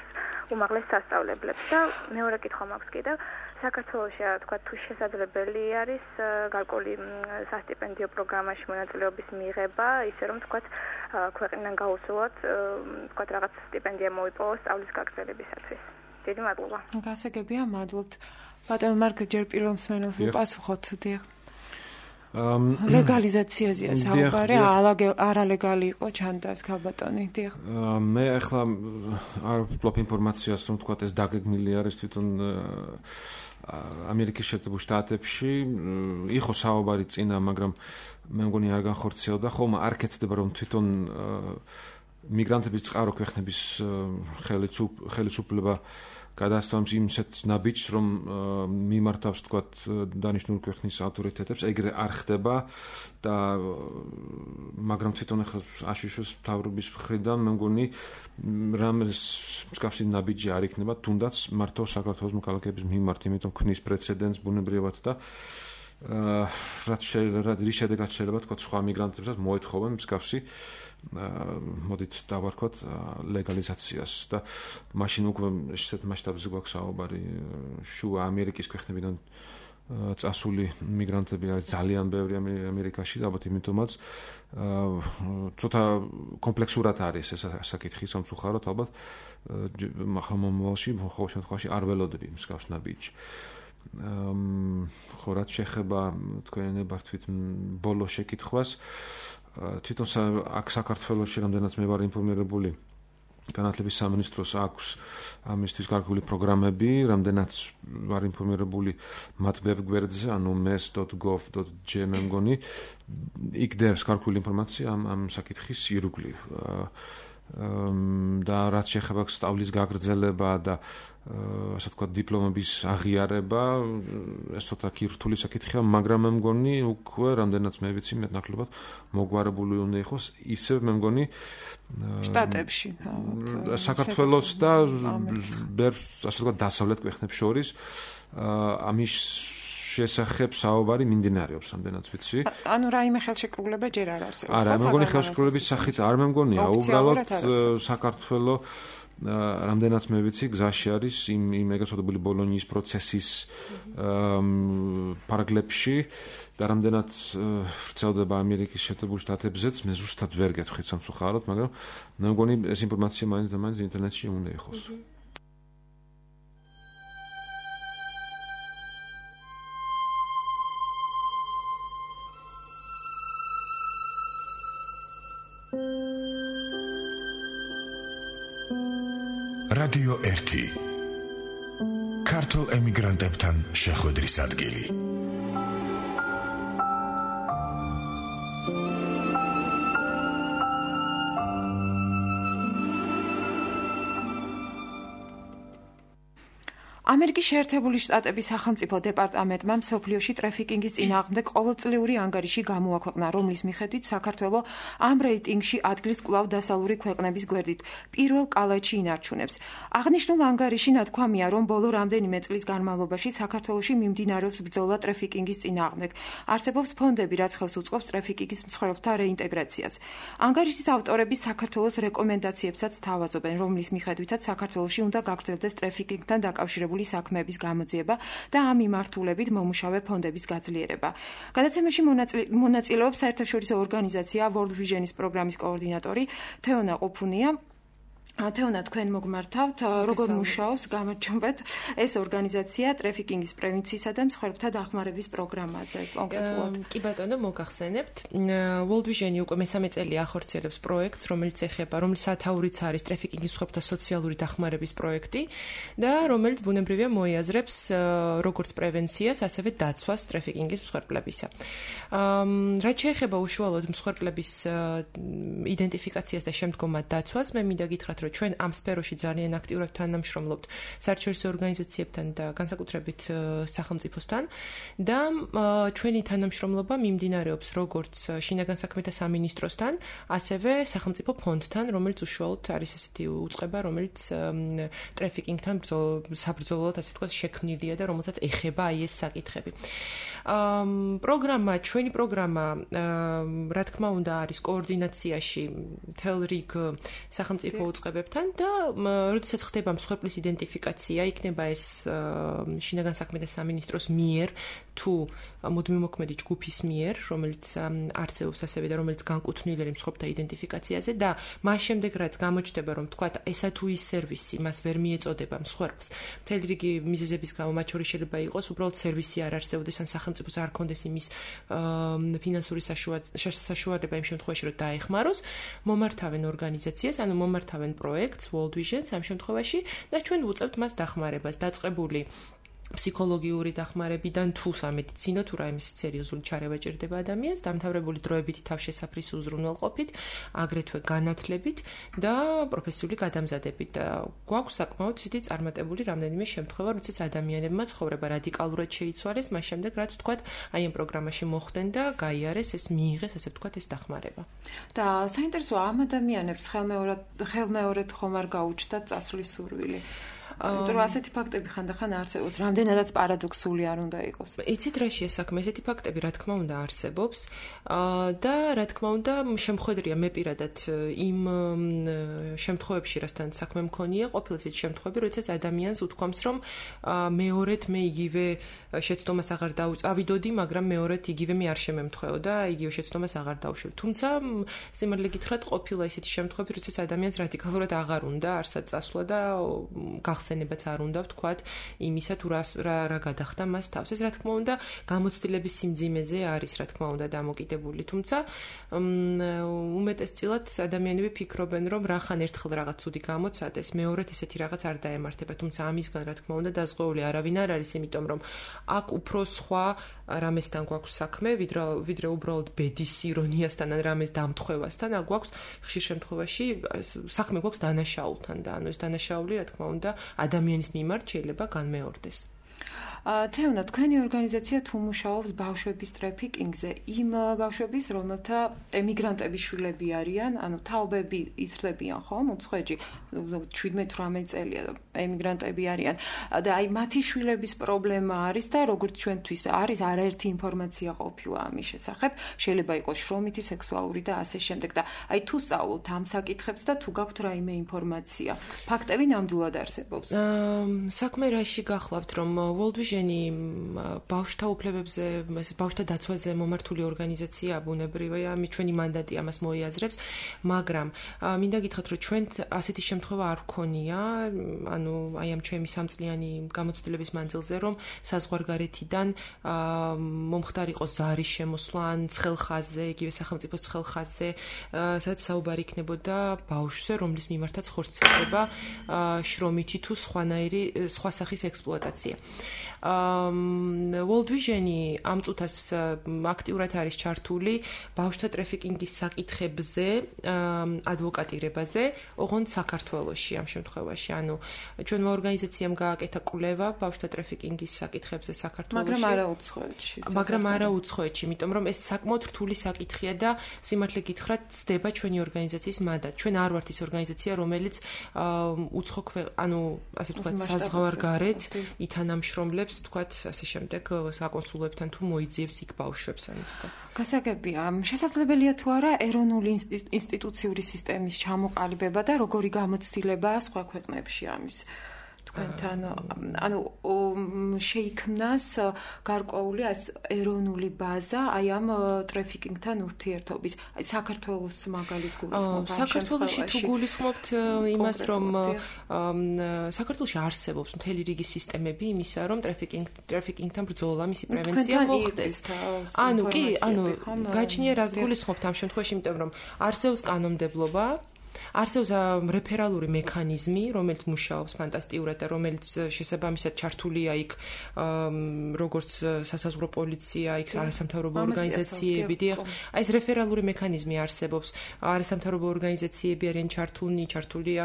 უმაღლეს სასწავლებლებს და მეორე კითხვა მაქვს კიდევ საქართველოში თქვა თუ შესაძლებელი არის გარკვეული სასტიპენდიო პროგრამაში მონაწილეობის მიღება, ისე რომ თქვა ქვეყნიდან გაუსულოთ თქვა რაღაც სტიპენდია მოიპოვოს სწავლის გაგრძელებისათვის. დიდი მადლობა. გასაგებია, მადლობთ. ბატონ მარკ ჯერ პირველ მსმენელს უპასუხოთ, დიახ. ლეგალიზაციაზეა საუბარი, არალეგალი იყო ჩანდას ქალბატონი, დიახ. მე ახლა არ ვფლობ ინფორმაციას, რომ თქვა ეს დაგეგმილი არის თვითონ ამერიკის შეერთებულ შტატებში, იყო საუბარი წინა, მაგრამ მე მგონი არ განხორციელდა, ხოლმე არ კეთდება რომ თვითონ მიგრანტების წყარო ქვეყნების ხელისუფლება გადასცემს იმსეთ ნაბიჯს, რომ მიმართავს თქვა დანიშნული ქვეყნის ავტორიტეტებს, ეგრე არ ხდება და მაგრამ თვითონ ახლა აშიშოს მთავრობის მხრიდან მე მგონი რამეს მსგავსი ნაბიჯი არ იქნება, თუნდაც მართო საქართველოს მოქალაქეების მიმართ, იმიტომ ქნის პრეცედენტს ბუნებრივად და რაც რის შედეგად შეიძლება თქვა სხვა მიგრანტებსაც მოეთხოვენ მსგავსი მოდით დავარქვათ ლეგალიზაციას და მაშინ უკვე ესეთ მასშტაბზე გვაქვს საუბარი შუა ამერიკის ქვეყნებიდან წასული მიგრანტები არის ძალიან ბევრი ამერიკაში და ალბათ იმიტომაც ცოტა კომპლექსურად არის ეს საკითხი სამწუხაროდ ალბათ მომავალში ხოლმე შემთხვევაში არ ველოდები მსგავს ნაბიჯს ხო რაც შეეხება თქვენებართვით ბოლო შეკითხვას თვითონ აქ საქართველოში რამდენად მე ვარ ინფორმირებული განათლების სამინისტროს აქვს ამისთვის გარკვეული პროგრამები, რამდენად ვარ ინფორმირებული მათ ვებ გვერდზე, ანუ mes dot gov dot j მე მგონი, იქ დევს გარკვეული ინფორმაცია ამ ამ საკითხის ირგვლივ. და რაც შეეხება სწავლის გაგრძელება და ასე ვთქვათ დიპლომების აღიარება, ეს ცოტა რთული საკითხია, მაგრამ მე მგონი უკვე რამდენად მე ვიცი მეტნაკლებად მოგვარებული უნდა იყოს, ისევ მე მგონი შტატებში, საქართველოს და ასე ვთქვათ დასავლეთ ქვეყნებს შორის ამის შესახებ საუბარი მიმდინარეობს, რამდენიც ვიცი. ანუ რაიმე ხელშეკრულება ჯერ არ არსებობს. არა, მე მგონი ხელშეკრულების სახით არ მე მგონია, უბრალოდ საქართველოს რამდენიც მე ვიცი, გზაში არის იმ იმ ეგრეთ წოდებული ბოლონიის პროცესის პარაგლებში და რამდენად ვრცელდება ამერიკის შეერთებულ შტატებზეც, მე ზუსტად ვერ გეტყვით სამწუხაროდ, მაგრამ მე მგონი ეს ინფორმაცია მაინც და მაინც ინტერნეტში უნდა იყოს. რადიო ერთი ქართულ ემიგრანტებთან შეხვედრის ადგილი. ამერიკის შეერთებული შტატების სახელმწიფო დეპარტამენტმა მსოფლიოში ტრაფიკინგის წინააღმდეგ ყოველწლიური ანგარიში გამოაქვეყნა, რომლის მიხედვით საქართველო ამ რეიტინგში ადგილს კვლავ დასავლური ქვეყნების გვერდით პირველ კალათში ინარჩუნებს. აღნიშნულ ანგარიში ნათქვამია, რომ ბოლო რამდენიმე წლის განმავლობაში საქართველოში მიმდინარეობს ბრძოლა ტრაფიკინგის წინააღმდეგ. არსებობს ფონდები, რაც ხელს უწყობს ტრაფიკინგის მსხვერპლთა რეინტეგრაციას. ანგარიშის ავტორები საქართველოს რეკომენდაციებსაც თავაზობენ, რომლის მიხედვითაც საქართველოში უნდა გაგრძელდეს ტრაფიკინგთან დაკავშირებული საქმეების გამოძიება და ამ მიმართულებით მომუშავე ფონდების გაძლიერება. გადაცემაში მონაწილეობს საერთაშორისო ორგანიზაცია World Vision-ის პროგრამის კოორდინატორი თეონა ყუფუნია. თეონა, თქვენ მოგმართავთ, როგორ მუშაობს, გამარჯობათ, ეს ორგანიზაცია ტრაფიკინგის პრევენციისა და მსხვერპლთა დახმარების პროგრამაზე კონკრეტულად. კი ბატონო, მოგახსენებთ. World Vision-ი უკვე მესამე წელია ახორციელებს პროექტს, რომელიც ეხება, რომლის სათაურიც არის ტრაფიკინგის მსხვერპლთა სოციალური დახმარების პროექტი და რომელიც ბუნებრივია მოიაზრებს როგორც პრევენციას, ასევე დაცვას ტრაფიკინგის მსხვერპლებისა. რაც შეეხება უშუალოდ მსხვერპლების იდენტიფიკაციას და შემდგომად დაცვას, მე მინდა გითხრათ, რომ ჩვენ ამ სფეროში ძალიან აქტიურად თანამშრომლობთ საერთაშორისო ორგანიზაციებთან და განსაკუთრებით სახელმწიფოსთან და ჩვენი თანამშრომლობა მიმდინარეობს როგორც შინაგან საქმეთა სამინისტროსთან, ასევე სახელმწიფო ფონდთან, რომელიც უშუალოდ არის ესეთი უწყება, რომელიც ტრაფიკინგთან საბრძოლოდ, ასე ვთქვათ, შექმნილია და რომელსაც ეხება აი ეს საკითხები. პროგრამა, ჩვენი პროგრამა, რა თქმა უნდა, არის კოორდინაციაში მთელ რიგ სახელმწიფო უწყებებთან და როდესაც ხდება მსხვერპლის იდენტიფიკაცია, იქნება ეს შინაგან საქმეთა სამინისტროს მიერ თუ მუდმივმოქმედი ჯგუფის მიერ, რომელიც არსებობს ასევე და რომელიც განკუთვნილი არის მსხვერპლთა იდენტიფიკაციაზე და მას შემდეგ რაც გამოჩნდება, რომ თქვა ესა თუ ის სერვისი მას ვერ მიეწოდება მსხვერპლს, მთელი რიგი მიზეზების გამო, მათ შორის შეიძლება იყოს უბრალოდ სერვისი არ არსებობდეს ან სახელმწიფოს არ ქონდეს იმის ფინანსური საშუალება იმ შემთხვევაში, რომ დაეხმაროს, მომართავენ ორგანიზაციას, ანუ მომართავენ პროექტს World Vision-ს ამ შემთხვევაში და ჩვენ ვუწევთ მას დახმარებას, დაწყებული ფსიქოლოგიური დახმარებიდან თუ სამედიცინო თუ რაიმე სერიოზული ჩარევა ჭირდება ადამიანს, დამთავრებული დროებითი თავშესაფრის უზრუნველყოფით, აგრეთვე განათლებით და პროფესიული გადამზადებით. გვაქვს საკმაოდ ისეთი წარმატებული რამდენიმე შემთხვევა, როდესაც ადამიანებმა ცხოვრება რადიკალურად შეიცვალეს, მას შემდეგ რაც თქვათ, აი ამ პროგრამაში მოხვდნენ და გაიარეს ეს მიიღეს, ასე ვთქვათ, ეს დახმარება. და საინტერესოა ამ ადამიანებს ხელმეორედ ხელმეორედ ხომ არ გაუჩნდათ წასვლის სურვილი. იმიტომ რომ ასეთი ფაქტები ხანდახან არსებობს, რამდენადაც პარადოქსული არ უნდა იყოს. იცით რა შეესაქმე, ესეთი ფაქტები რა თქმა უნდა არსებობს და რა თქმა უნდა შემხედრია მე პირადად იმ შემთხვევებში, რასთან საქმე მქონია, ყოფილი ისეთი შემთხვევები, როდესაც ადამიანს უთქვამს, რომ მეორედ მე იგივე შეცდომას აღარ დავწავიდოდი, მაგრამ მეორედ იგივე მე არ შემემთხვეო და იგივე შეცდომას აღარ დავშვებ. თუმცა სიმართლე გითხრათ, ყოფილა ისეთი შემთხვევები, როდესაც ადამიანს რადიკალურად აღარ უნდა არსად წასვლა და ხსენებაც არ უნდა ვთქვათ იმისა თუ რა რა გადახდა მას თავს. ეს რა თქმა უნდა გამოცდილების სიმძიმეზე არის რა თქმა უნდა დამოკიდებული. თუმცა უმეტესწილად ადამიანები ფიქრობენ, რომ რახან ერთხელ რაღაც ცუდი გამოცადეს, მეორედ ესეთი რაღაც არ დაემართება. თუმცა ამისგან რა თქმა უნდა დაზღვეული არავინ არ არის, იმიტომ რომ აქ უფრო სხვა რამესთან გვაქვს საქმე, ვიდრე ვიდრე უბრალოდ ბედის ირონიასთან ან რამეს დამთხევასთან, აქ გვაქვს ხშირ შემთხვევაში საქმე გვაქვს დანაშაულთან და ანუ ეს დანაშაული რა თქმა უნდა ადამიანის მიმართ შეიძლება განმეორდეს. თეონა, თქვენი ორგანიზაცია თუ მუშაობს ბავშვების ტრაფიკინგზე, იმ ბავშვების, რომელთა ემიგრანტების შვილები არიან, ანუ თაობები იზრდებიან ხომ, უცხოეთში, შვიდმეტ ათორმეტ წელია ემიგრანტები არიან და აი მათი შვილების პრობლემა არის და როგორც ჩვენთვის არის არაერთი ინფორმაცია ყოფილა ამის შესახებ, შეიძლება იყოს შრომითი, სექსუალური და ასე შემდეგ და აი თუ სწავლობთ ამ საკითხებს და თუ გაქვთ რაიმე ინფორმაცია, ფაქტები ნამდვილად არსებობს. საქმე რაში გახლავთ, რომ World Vision-ი ბავშვთა უფლებებზე, ბავშვთა დაცვაზე მომართული ორგანიზაციაა, ბუნებრივია, ჩვენი მანდატი ამას მოიაზრებს, მაგრამ მინდა გითხრათ, რომ ჩვენ ასეთი შემთხვევა არ ვქონია, ანუ აი ამ ჩემი სამწლიანი გამოცდილების მანძილზე, რომ საზღვარგარეთიდან მომხდარიყო ზარის შემოსვლა ან ცხელხაზზე, იგივე სახელმწიფოს ცხელხაზზე, სადაც საუბარი იქნებოდა ბავშვზე, რომლის მიმართაც ხორციელდება შრომითი თუ სხვანაირი სხვა სახის ექსპლუატაცია. World Vision-ი ამ წუთას აქტიურად არის ჩართული ბავშვთა ტრაფიკინგის საკითხებზე, ადვოკატირებაზე, ოღონდ საქართველოში ამ შემთხვევაში. ანუ ჩვენმა ორგანიზაციამ გააკეთა კვლევა ბავშვთა ტრაფიკინგის საკითხებზე საქართველოში. მაგრამ არა უცხოეთში. მაგრამ არა უცხოეთში, იმიტომ რომ ეს საკმაოდ რთული საკითხია და სიმართლე გითხრათ, ცდება ჩვენი ორგანიზაციის მანდატ. ჩვენ არ ვართ ის ორგანიზაცია, რომელიც უცხო ქვეყ, ანუ ასე ვთქვათ, საზღვარგარეთ ითანამშრომლებს თქვათ ასე შემდეგ საკონსულოებთან თუ მოიძიებს იქ ბავშვებს ან ცოტა. გასაგებია, შესაძლებელია თუ არა ეროვნული ინსტიტუციური სისტემის ჩამოყალიბება და როგორი გამოცდილებაა სხვა ქვეყნებში ამის თქვენთან, ანუ შეიქმნას გარკვეული ეროვნული ბაზა აი ამ ტრაფიკინგთან ურთიერთობის. აი საქართველოს მაგალის გულისხმობ. საქართველოში თუ გულისხმობთ იმას, რომ საქართველოში არსებობს მთელი რიგი სისტემები იმისა, რომ ტრაფიკინგ ტრაფიკინგთან ბრძოლა, მისი პრევენცია მოხდეს. ანუ კი, ანუ გაჩნია რას გულისხმობთ ამ შემთხვევაში, იმიტომ რომ არსებობს კანონმდებლობა, არსებობს რეფერალური მექანიზმი, რომელიც მუშაობს ფანტასტიკურად და რომელიც შესაბამისად ჩართულია იქ როგორც სასაზღვრო პოლიცია, იქ არასამთავრობო ორგანიზაციები, დიახ, აი ეს რეფერალური მექანიზმი არსებობს, არასამთავრობო ორგანიზაციები არიან ჩართულნი, ჩართულია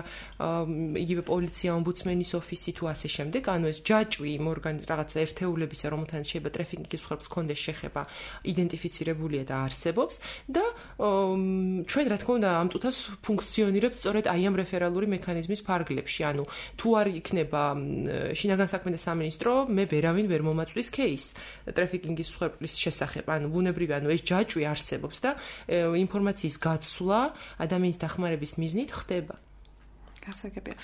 იგივე პოლიცია, ომბუდსმენის ოფისი თუ ასე შემდეგ, ანუ ეს ჯაჭვი იმ ორგანიზ რაღაც ერთეულებისა, რომელთანაც შეიძლება ტრაფიკინგის ხერხს კონდეს შეხება, იდენტიფიცირებულია და არსებობს და ჩვენ რა თქმა უნდა ამ წუთას ფუნქციონირებს სწორედ აი ამ რეფერალური მექანიზმის ფარგლებში. ანუ თუ არ იქნება შინაგან საქმეთა სამინისტრო, მე ვერავინ ვერ მომაწვლის кейს ტრაფიკინგის მსხვერპლის შესახებ. ანუ ბუნებრივია, ანუ ეს ჯაჭვი არსებობს და ინფორმაციის გაცვლა ადამიანის დახმარების მიზნით ხდება. გასაგებია.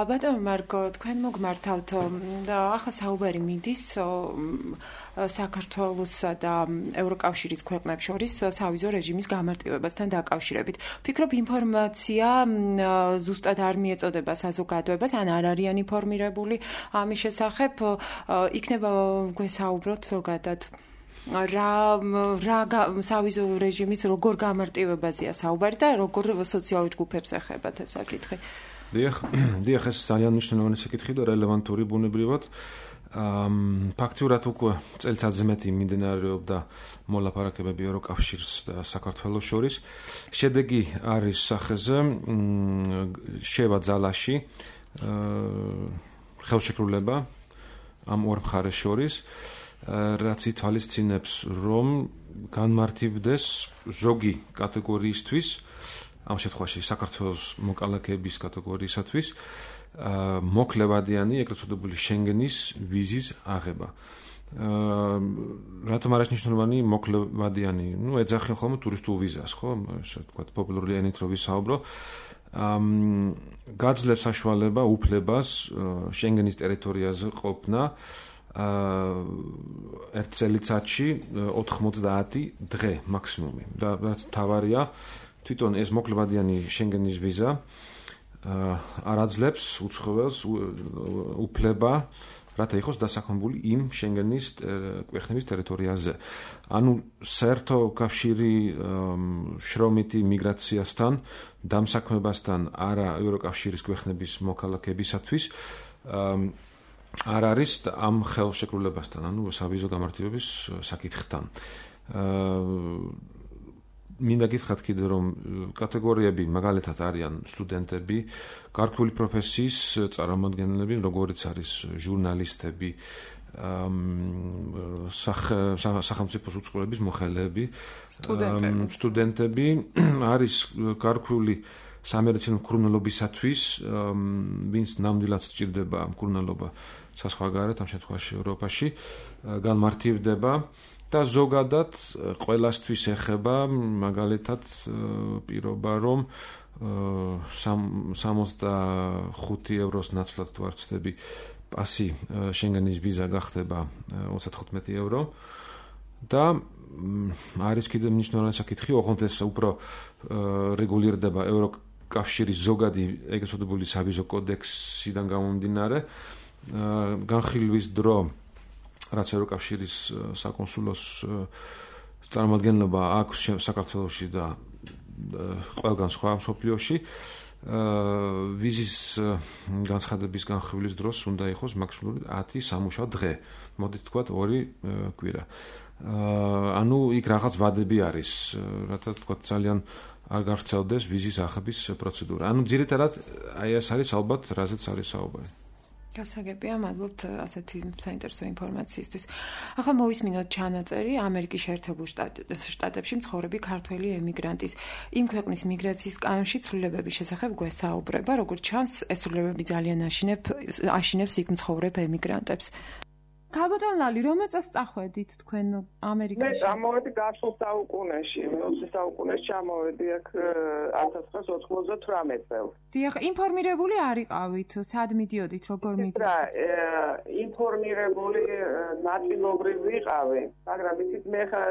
ბატონო მარგო, თქვენ მოგმართავთ ახლა საუბარი მიდის საქართველოსა და ევროკავშირის ქვეყნებს შორის სავიზო რეჟიმის გამარტივებასთან დაკავშირებით. ვფიქრობ, ინფორმაცია ზუსტად არ მიეწოდება საზოგადოებას, ან არ არიან ინფორმირებული ამის შესახებ, იქნება გვესაუბროთ ზოგადად რა რა სავიზო რეჟიმის როგორ გამარტივებაზეა საუბარი და როგორ სოციალურ ჯგუფებს ეხებათ ეს საკითხი. დიახ, დიახ, ეს ძალიან მნიშვნელოვანი საკითხი და რელევანტური ბუნებრივად. ფაქტიურად უკვე წელიწადზე მეტი მიმდინარეობდა მოლაპარაკებები ევროკავშირს და საქართველოს შორის. შედეგი არის სახეზე, შევა ძალაში ხელშეკრულება ამ ორ მხარეს შორის, რაც ითვალისწინებს, რომ განმარტივდეს ზოგი კატეგორიისთვის, ამ შემთხვევაში საქართველოს მოკალაკეების კატეგორიისათვის, მოქლებადიანი, ეგრეთ წოდებული შენგენის ვიზის აღება. რატომ არის მნიშვნელოვანი მოქლებადიანი? ნუ ეძახიან ხოლმე ტურისტულ ვიზას, ხო? ასე ვთქვათ, პოპულარული ენით რო ვისაუბრო. გაძლევს საშუალება უფლებას შენგენის ტერიტორიაზე ყოფნა ერთ წელიწადში ოთხმოცდაათი დღე მაქსიმუმი. და რაც მთავარია, თვითონ ეს მოქლებადიანი შენგენის ვიზა არ აძლევს უცხოელს უფლება, რათა იყოს დასაქმებული იმ შენგენის ქვეყნების ტერიტორიაზე. ანუ საერთო კავშირი შრომითი მიგრაციასთან, დამსაქმებასთან არა ევროკავშირის ქვეყნების მოქალაქეებისათვის არ არის ამ ხელშეკრულებასთან, ანუ სავიზო გამარტივების საკითხთან. მინდა გითხრათ კიდე, რომ კატეგორიები მაგალითად არიან სტუდენტები, გარკვეული პროფესიის წარმომადგენლები, როგორიც არის ჟურნალისტები, სახელმწიფოს უწყლობის მოხელეები, სტუდენტები არის გარკვეული სამედიცინო მკურნალობისათვის, ვინც ნამდვილად სჭირდება მკურნალობა საზღვარგარეთ, ამ შემთხვევაში ევროპაში, განმარტივდება და ზოგადად ყველასთვის ეხება მაგალითად პირობა, რომ სამოცდახუთი ევროს ნაცვლად თუ არ ვცდები პასი შენგენის ვიზა გახდება ოცდათხუთმეტი ევრო და არის კიდევ მნიშვნელოვანი საკითხი, ოღონდ ეს უფრო რეგულირდება ევროკავშირის ზოგადი ეგრეთ წოდებული სავიზო კოდექსიდან გამომდინარე, განხილვის დრო, რაც ევროკავშირის საკონსულოს წარმოადგენლობა აქვს საქართველოში და ყველგან სხვა მსოფლიოში, ვიზის განცხადების განხილვის დროს უნდა იყოს მაქსიმალური ათი სამუშაო დღე, მოდით თქვათ ორი კვირა. ანუ იქ რაღაც ვადები არის, რათა თქვათ ძალიან არ გავრცელდეს ვიზის აღების პროცედურა. ანუ ძირითადად აი ეს არის ალბათ, რაზეც არის საუბარი. გასაგებია, მადლობთ ასეთი საინტერესო ინფორმაციისთვის. ახლა მოვისმინოთ ჩანაწერი ამერიკის შეერთებულ შტატებში მცხოვრები ქართველი ემიგრანტის იმ ქვეყნის მიგრაციის კანონში ცვლილებების შესახებ გვესაუბრება, როგორც ჩანს, ეს ცვლილებები ძალიან აშინებს იქ მცხოვრებ ემიგრანტებს. Kalbatan lali, რომელ წელს წახვედით თქვენ ამერიკაში? მე წამოვედი გასულ საუკუნეში, მეოცე საუკუნეში ჩამოვედი აქ ათას ცხრაასი ოცდაოთხ წელს. დიახ, ინფორმირებული არიყავით, სად მიდიოდით, როგორ მიდიოდით? რა, ინფორმირებული ნაწილობრივ ვიყავი, მაგრამ იცით მე ხა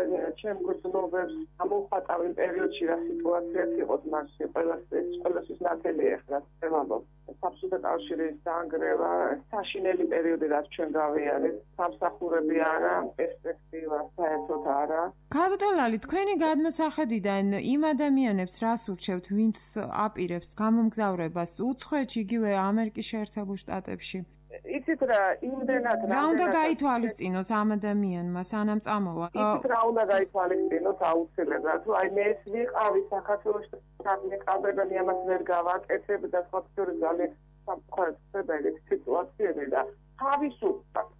ჩემ გრძნობებს ამოვხატავი პერიოდში რა სიტუაციაც იყო მასში, ყველასთვის ყველასთვის ნათელი ეხლა ვამბობ. საბჭოთა კავშირის დაანგრევა, საშინელი პერიოდი რაც ჩვენ გავიარეთ, სამსახურები არა, პერსპექტივა საერთოდ არა. Kalbatan lali, თქვენი გადმოსახედიდან იმ ადამიანებს რას ურჩევთ, ვინც აპირებს გამომგზავრებას უცხოეთში, იგივე ამერიკის შეერთებულ შტატებში? იცით რა, იმდენად რა უნდა გაითვალისწინოს ამ ადამიანმა სანამ წამოვა? იცით რა უნდა გაითვალისწინოს აუცილებლად, თუ აი მე ეს ვიყავი საქართველოში სამეკაბე და მე ამას ვერ გავაკეთებ და სხვა შორის ძალიან სამწუხაროდ სიტუაციები და თავისუფლად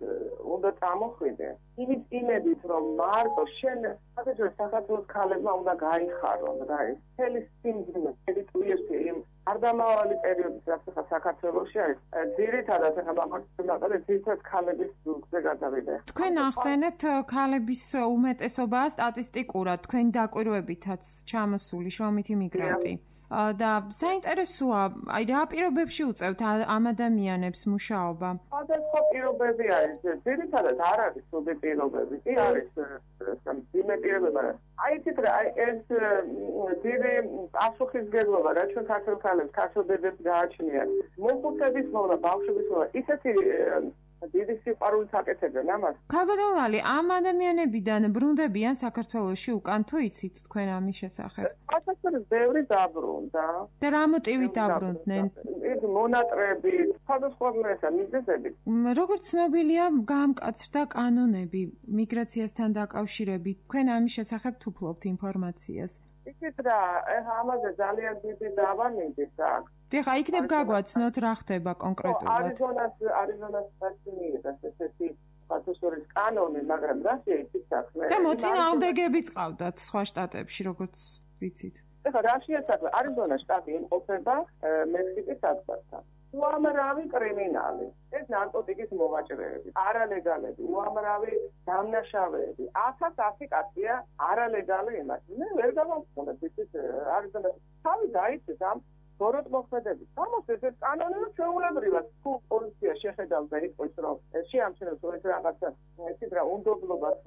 უნდა წამოხვიდე. იმის იმედით, რომ მარტო შენ საკუთარ საქართველოს ქალებმა უნდა გაიხარონ რა ეს მთელი სიმძიმე, მთელი ტვირთი იმ არ დამავალი პერიოდის რაც ახლა საქართველოში არის. ძირითადად ახლა მაგალითად ძირითადად ქალების ზურგზე გადავიდე. თქვენ ახსენეთ ქალების უმეტესობაა სტატისტიკურად, თქვენი დაკვირვებითაც ჩამოსული შრომითი მიგრანტი. და საინტერესოა, აი რა პირობებში უწევთ ამ ადამიანებს მუშაობა? სხვადასხვა პირობები არის, ძირითადად არ არის სუდი პირობები, კი არის ძიმე პირობები. აი იცით რა, აი ეს ძირი პასუხისმგებლობა რა ჩვენ ქართულ ქალებს, ქართულ ბებებს გააჩნიათ. მოხუცების მოვლა, ბავშვების მოვლა, ისეთი დიდი სიყვარულით აკეთებენ ამას. Kalbatan lali, ამ ადამიანებიდან ბრუნდებიან საქართველოში უკან თუ იცით თქვენ ამის შესახებ? ასეთებს ბევრი დაბრუნდა. და რა მოტივით დაბრუნდნენ? ეს მონატრებით, სხვადასხვა მიზეზებით. როგორც ცნობილია, გაამკაცრდა კანონები მიგრაციასთან დაკავშირებით. თქვენ ამის შესახებ თუ ფლობთ ინფორმაციას? იცით რა, ეხა ამაზე ძალიან დიდი დავა მინდით აქვს. დიახ, იქნებ გაგვაცნოთ რა ხდება კონკრეტულად. არიზონას არიზონას პასტინიერა ესეთი პასუხის კანონი, მაგრამ რაშია იცით საქმე? და მოწინააღმდეგებიც ყავდათ სხვა შტატებში, როგორც ვიცით. ეხლა რაშია საქმე? არიზონას შტატი იმყოფება მექსიკის საზღვართან. უამრავი კრიმინალი, ეს ნარკოტიკის მოვაჭრეები, არალეგალები, უამრავი დამნაშავეები, ათას ასი კაცია არალეგალი იმაში. მე ვერ გავამხსოვრებ, იცით, არიზონას თავი დაიცით ამ ბოროტ მოქმედებით. ამას ეს კანონი ჩვეულებრივად თუ პოლიცია შეხედავდა იყოს, რომ შეამჩნევს ეს რაღაცა, ისიც რა უნდობლობას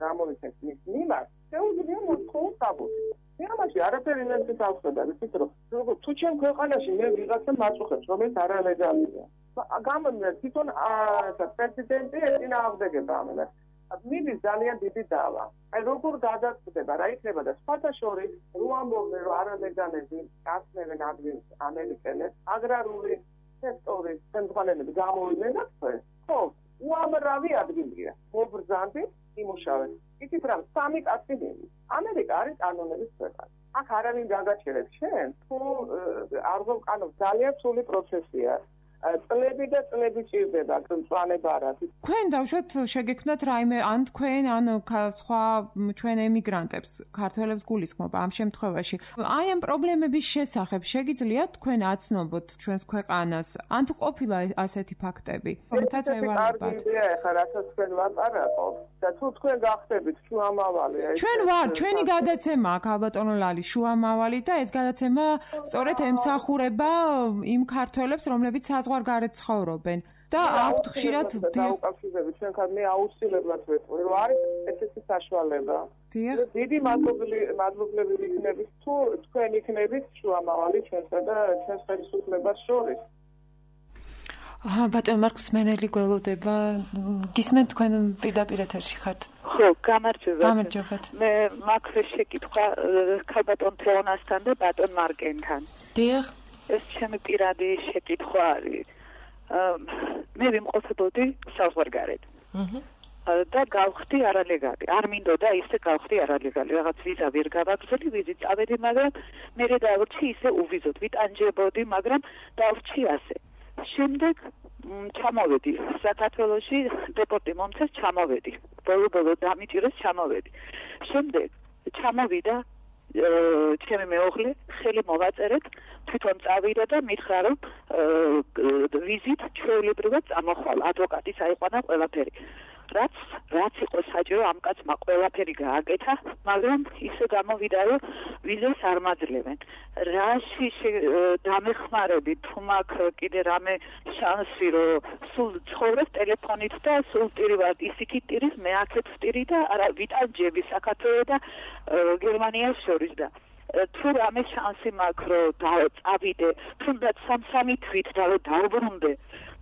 გამოვიცემს მის მიმართ, შეუძლია მოთხოვოს საბუთი. მე ამაში არაფერი ვერ დავხსნა, ვიცით რომ თუ ჩემ ქვეყანაში მე ვიღაცა მაწუხებს, რომელიც არალეგალია. გამომდინარე თვითონ პრეზიდენტი ეწინააღმდეგება ამას. მიდის ძალიან დიდი დავა. აი როგორ გადაწყვეტება რა იქნება და სხვათა შორის რო ამბობენ რომ არალეგალები გასწნევენ ადგილს ამერიკელებს, აგრარული სექტორის ხელმძღვანელები გამოვიდნენ და თქვენ, ხო, უამრავი ადგილია. მობრძანდით, იმუშავეთ. იცით რა, სამი კაცი მიდის. ამერიკა არის კანონების ქვეყანა. აქ არავინ გაგაჩერებს შენ, თუ არ გვკანონს ძალიან სრული პროცესია. წლები და წლები ჭირდება მწვანება არ არის. თქვენ დავუშვათ შეგექმნათ რაიმე ან თქვენ ან სხვა ჩვენ ემიგრანტებს, ქართველებს გულისხმობა ამ შემთხვევაში. აი ამ პრობლემების შესახებ შეგიძლიათ თქვენ აცნობოთ ჩვენს ქვეყანას, ან თუ ყოფილა ასეთი ფაქტები, რომელთაც ევალებათ. ეხლა რასაც თქვენ ვაპარაკობ და თუ თქვენ გახდებით შუამავალი. ჩვენ ვარ, ჩვენი გადაცემა აქ ალბათონო ლალი შუამავალი და ეს გადაცემა სწორედ ემსახურება იმ ქართველებს, რომლებიც საზღვარგარეთ ცხოვრობენ. და აქვთ ხშირად დაუკავშირებით ჩვენ ხარ მე აუცილებლად ვეთქვი რომ არის ესეთი საშუალება. დიდი მადლობლები ვიქნებით თუ თქვენ იქნებით შუამავალი ჩვენსა და ჩვენს ხელისუფლებას შორის. აა ბატონ მარკს მენელი გველოდება. გისმენთ თქვენ პირდაპირ ეთერში ხართ? ხო, გამარჯობა. გამარჯობათ. მე მაქვს შეკითხვა ქალბატონ თეონასთან და ბატონ მარკენთან. დიახ. ეს ჩემი პირადი შეკითხვა არის. მე ვიმყოფებოდი საზღვარგარეთ. აჰა. და გავხდი არალეგალი. არ მინდოდა ისე გავხდი არალეგალი. რაღაც ვიზა ვერ გავაგზავნე, ვიზით წავედი, მაგრამ მე დავრჩი ისე უვიზოთ, ვიტანჯებოდი, მაგრამ დავრჩი ასე. შემდეგ ჩამოვედი საქართველოში, დეპორტი მომწეს ჩამოვედი. ბოლო-ბოლო დამიჭირეს ჩამოვედი. შემდეგ ჩამოვიდა ჩემი მეუღლე, ხელი მოვაწერეთ, თვითონ წავიდა და მითხრა რომ ვიზით ჩვეულებრივად წამოხვალ, ადვოკატი საიყვანა ყველაფერი. რაც რაც იყო საჭირო ამ კაცმა ყველაფერი გააკეთა, მაგრამ ისე გამოვიდა რომ ვიზას არ მაძლევენ. რაში დამეხმარები თუ მაქვს კიდე რამე შანსი რომ სულ ცხოვრებ ტელეფონით და სულ ტირივად ისიქით ტირის მე აქეთ ვტირი და არა ვიტანჯები საქართველოს და გერმანიას შორის და თუ რამე შანსი მაქვს რომ წავიდე თუნდაც სამ-სამი თვით და რომ დავბრუნდე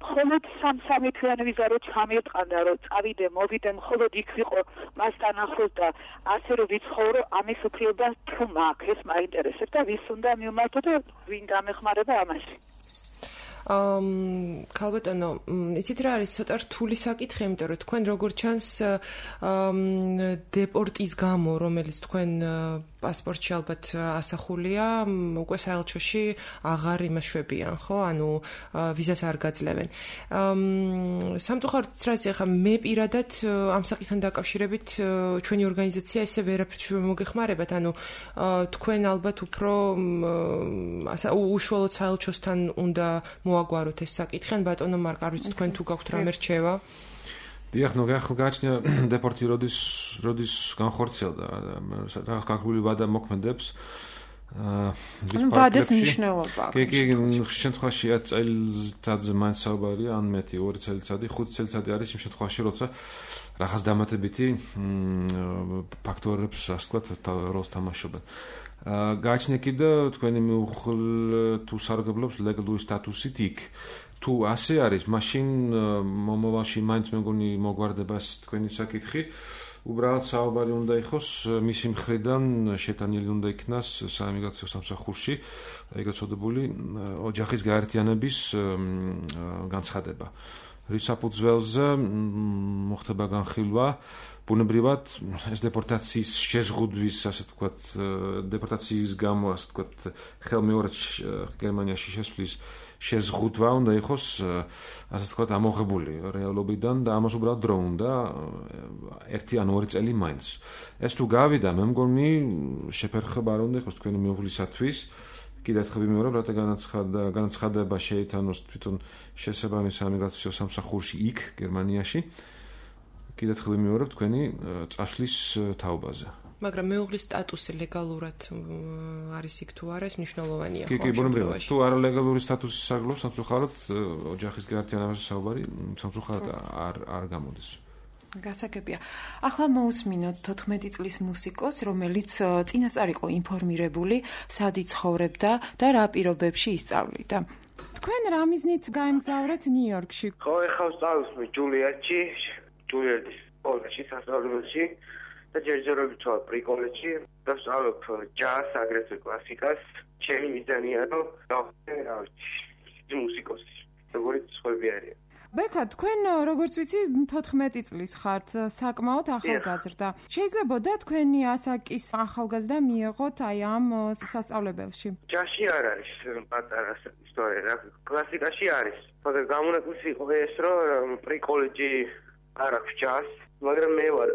მხოლოდ სამ-სამი თვიანი ვიზა რომ ჩამიეტყანდა რომ წავიდე მოვიდე მხოლოდ იქ ვიყო მასთან ახლოს და ასე რომ ვიცხოვრო ამის უფლება თუ მაქვს ეს მაინტერესებს და ვის უნდა მივმართო და ვინ დამეხმარება ამაში. ამ ქალბატონო, იცით რა არის ცოტა რთული საკითხი, იმიტომ რომ თქვენ როგორ ჩანს დეპორტის გამო, რომელიც თქვენ პასპორტში ალბათ ასახულია, უკვე საელჩოში აღარ იმაშვებიან, ხო? ანუ ვიზას არ გაძლევენ. სამწუხაროდ რაც ახლა მე პირადად ამ საკითხთან დაკავშირებით ჩვენი ორგანიზაცია ესე ვერაფერს მოგეხმარებათ, ანუ თქვენ ალბათ უფრო უშუალოდ საელჩოსთან უნდა მოაგვაროთ ეს საკითხი, ან ბატონო მარკ, არ ვიცი თქვენ თუ გაქვთ რამე რჩევა? დიახ, ნუ გააჩნია დეპორტი როდის როდის განხორციელდა, რაღაც განხორციელებული ვადა მოქმედებს. ანუ ვადის მნიშვნელობა. კი, კი, შემთხვევაში წელიწადზე მაინც საუბარია, ან მეტი, ორი წელიწადი, ხუთი წელიწადი არის იმ შემთხვევაში, როცა რაღაც დამატებითი ფაქტორებს, ასე ვთქვათ, როლს თამაშობენ. გააჩნია კიდე თქვენი მეუღლე თუ სარგებლობს ლეგალური სტატუსით იქ. თუ ასე არის, მაშინ მომავალში მაინც მე მგონი მოგვარდება თქვენი საკითხი. უბრალოდ საუბარი უნდა იყოს მისი მხრიდან შეტანილი უნდა იქნას საიმიგრაციო სამსახურში, ეგრეთ წოდებული ოჯახის გაერთიანების განცხადება. რის საფუძველზე მოხდება განხილვა, ბუნებრივად ეს დეპორტაციის შეზღუდვის, ასე ვთქვათ, დეპორტაციის გამო, ასე ვთქვათ, ხელმეორედ გერმანიაში შესვლის შეზღუდვა უნდა იყოს, ასე ვთქვათ, ამოღებული რეალობიდან და ამას უბრალოდ დრო უნდა ერთი ან ორი წელი მაინც. ეს თუ გავიდა, მე მგონი შეფერხება არ უნდა იყოს თქვენი მეუღლისათვის. კიდევ ერთხელ ვიმეორებ, რათა განაცხადება შეიტანოს თვითონ შესაბამის საიმიგრაციო სამსახურში იქ, გერმანიაში. კიდევ ერთხელ ვიმეორებ თქვენი წასვლის თაობაზე. მაგრამ მეუღლის სტატუსი ლეგალურად არის იქ თუ არა, ეს მნიშვნელოვანია. კი, კი, ბუნებრივად. თუ არალეგალური სტატუსი საგლობს, სამწუხაროდ ოჯახის გაერთიანებაზე საუბარი სამწუხაროდ არ არ გამოდის. გასაგებია. ახლა მოусმინოთ თოთხმეტი წლის მუსიკოს, რომელიც წინასწარ იყო ინფორმირებული, სად იცხოვრებდა და რა პირობებში ისწავლიდა. თქვენ რა მიზნით გაემგზავრეთ ნიუ-იორკში? ხო, ეხლა ვსწავლობ ჯულიარდში, ჯულიარდის კოლეჯში, სასწავლებელში და ჯერჯერობით ვარ პრიკოლეჯში და ვსწავლობ ჯაზს, აგრეთვე კლასიკას. ჩემი მიზანია რომ გავხდე რა ვიცი, მუსიკოსი, როგორც სხვები არიან. ბექა, თქვენ როგორც ვიცი, თოთხმეტი წლის ხართ, საკმაოდ ახალგაზრდა. შეიძლებოდა თქვენი ასაკის ახალგაზრდა მიიღოთ აი ამ სასწავლებელში? ჯაში არ არის პატარა ისტორია, რა, კლასიკაში არის. მაგრამ გამონაკლისი იყო ეს, რომ პრიკოლეჯი არ აქვს ჯას, მაგრამ მე ვარ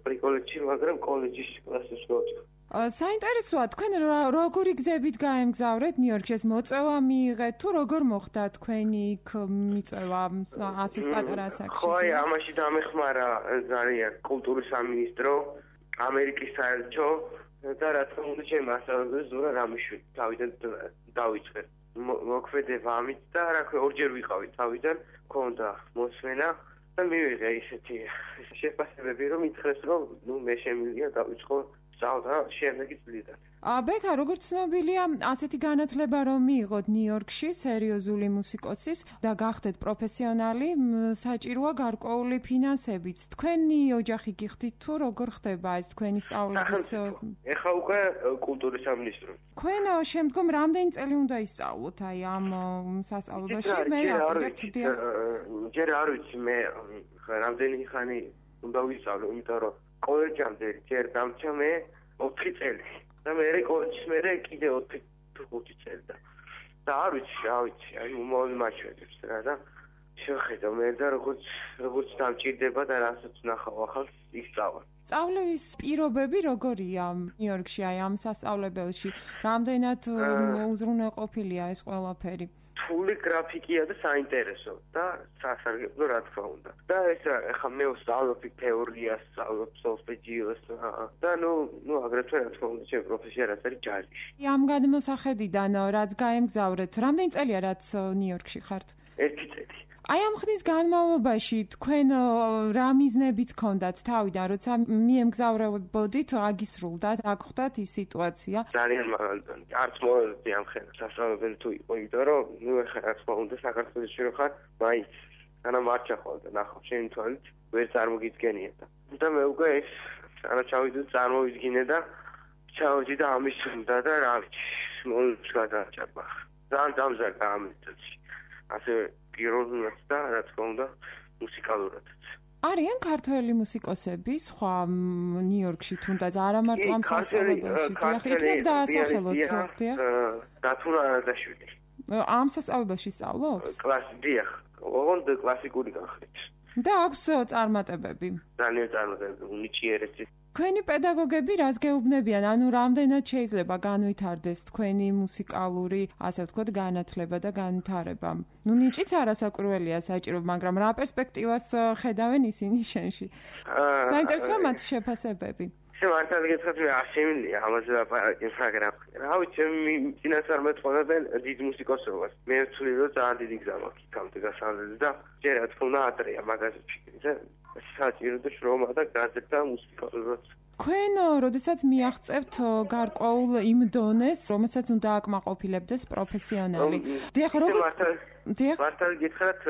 პრიკოლეჯში, მაგრამ კოლეჯის კლასში ვარ. საინტერესოა, თქვენ როგორი გზებით გაემგზავრეთ ნიუ-იორკში? ეს მოწვევა მიიღეთ თუ როგორ მოხდა თქვენი იქ მიწვევა ასეთ პატარა ასაკში? ხო, აი ამაში დამეხმარა ძალიან კულტურის სამინისტრო, ამერიკის საელჩო და რა თქმა უნდა ჩემი მასწავლებელი ზურა რამიშვილი თავიდან დავიწყე. მოქმედება ამით და რა ქვია ორჯერ ვიყავი თავიდან, მქონდა მოსმენა და მივიღე ისეთი შეფასებები, რომ ითხრეს, რომ ნუ მე შემიძლია დავიწყო სწავლა შემდეგი წლიდან. ბექა, როგორც ცნობილია, ასეთი განათლება რომ მიიღოთ ნიუ-იორკში სერიოზული მუსიკოსის და გახდეთ პროფესიონალი, საჭიროა გარკვეული ფინანსებიც. თქვენი ოჯახი გიხდით თუ როგორ ხდება ეს თქვენი სწავლების? ეხლა უკვე კულტურის სამინისტრო. თქვენ შემდგომ რამდენი წელი უნდა ისწავლოთ აი ამ სასწავლებელში? მე ჯერ არ ვიცი მე რამდენი ხანი უნდა ვისწავლო, იმიტომ რომ კოლეჯამდე ჯერ დამჭა მე ოთხი წელი და მე კოლეჯში მე კიდე ოთხი თუ ხუთი წელი და და არ ვიცი, რა ვიცი, აი უმოვლი მაჩვენებს რა და შეხედა მე და როგორც როგორც დამჭირდება და რასაც ნახავ ახალს ისწავლა. სწავლის პირობები როგორია ნიუ-იორკში აი ამ სასწავლებელში? რამდენად უზრუნველყოფილია ეს ყველაფერი? რთული გრაფიკია და საინტერესო და სასარგებლო რა თქმა უნდა. და ეს ახლა მე ვსწავლობ თეორიას, ვსწავლობ სოლფეჯიოს და ნუ ნუ აგრეთვე რა თქმა უნდა ჩემი პროფესია რაც არის ჯაზი. ამ გადმოსახედიდან რაც გაემგზავრეთ, რამდენი წელია რაც ნიუ-იორკში ხართ? ერთი წელი. აი ამ ხნის განმავლობაში თქვენ რა მიზნებიც გქონდათ თავიდან, როცა მიემგზავრებოდით, აგისრულდა, რა გხვდათ ის სიტუაცია? ძალიან მაგალითად, არც მოეწია ამ ხენს სასწავლებელი თუ იყო, იმიტომ რომ ნუ ახლა რა თქმა უნდა საქართველოში რო ხარ, მაინც ანა მარჩა ხოლმე ნახავ შენი თვალით, ვერ წარმოგიდგენია და და მე უკვე ეს ანა ჩავიდე წარმოვიდგინე და ჩავდი და ამის უნდა და რა ვიცი, მომents გადაჭარბა. ძალიან დამზარდა ამის წელს. ასე პიროვნულად და რა თქმა უნდა მუსიკალურადაც. არიან ქართველი მუსიკოსები სხვა ნიუ-იორკში თუნდაც არა მარტო ამ სასწავლებელში, დიახ, იქნებ დაასახელოთ თუ დიახ? დათუნა არადაშვილი. ამ სასწავლებელში სწავლობს? კლასი, დიახ, ოღონდ კლასიკური განხრით. და აქვს წარმატებები? ძალიან წარმატებები, უნიჭიერესი. თქვენი პედაგოგები რას გეუბნებიან? ანუ რამდენად შეიძლება განვითარდეს თქვენი მუსიკალური, ასე ვთქვათ, განათლება და განვითარება? ნუ ნიჭიც არასაკურველია საჭირო, მაგრამ რა პერსპექტივას ხედავენ ისინი შენში? საინტერესოა მათი შეფასებები. მართალი გითხრათ, მე არ შემიძლია ამაზე ლაპარაკი, მაგრამ რა ვიცი, წინას არ მეწყობენ დიდ მუსიკოსობას. მე ვთვლი, რომ ძალიან დიდი გზა მაქვს იქამდე გასავლელი და ჯერ რა თქმა უნდა ატრია მაგაზე ფიქრი და საჭირო და შრომა და გაზრდა მუსიკალურად. თქვენ როდესაც მიაღწევთ გარკვეულ იმ დონეს, რომელსაც უნდა აკმაყოფილებდეს პროფესიონალი. დიახ, როგორ? დიახ. მართალი გითხრათ,